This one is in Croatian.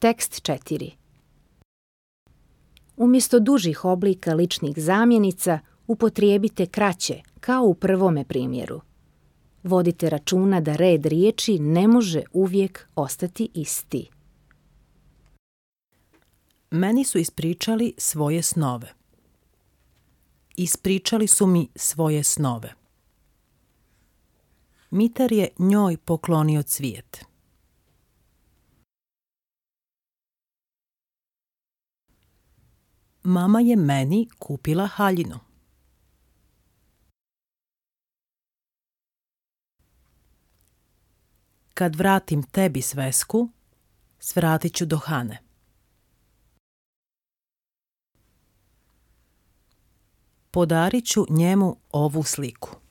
Tekst 4. Umjesto dužih oblika ličnih zamjenica upotrijebite kraće, kao u prvome primjeru. Vodite računa da red riječi ne može uvijek ostati isti. Meni su ispričali svoje snove. Ispričali su mi svoje snove. Mitar je njoj poklonio cvijet. Mama je meni kupila haljinu. Kad vratim tebi svesku, svratit ću do Hane. Podarit ću njemu ovu sliku.